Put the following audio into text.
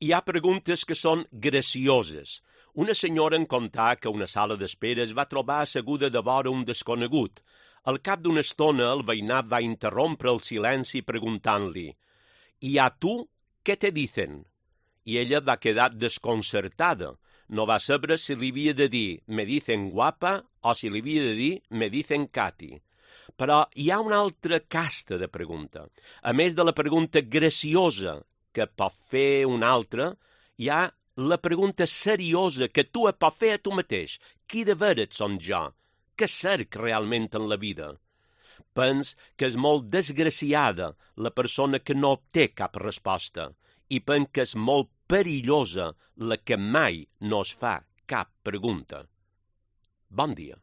Hi ha preguntes que són gracioses. Una senyora en contar que a una sala d'espera es va trobar asseguda de vora un desconegut. Al cap d'una estona, el veïnat va interrompre el silenci preguntant-li: «I a tu, què te dicen?» I ella va quedar desconcertada. No va saber si li havia de dir «me dicen guapa» o si li havia de dir «me dicen Cati». Però hi ha una altra casta de pregunta. A més de la pregunta graciosa que pot fer un altre, hi ha la pregunta seriosa que tu et pot fer a tu mateix. Qui de veres són jo? Què cerc realment en la vida? Pens que és molt desgraciada la persona que no té cap resposta i pens que és molt perillosa la que mai no es fa cap pregunta. Bon dia.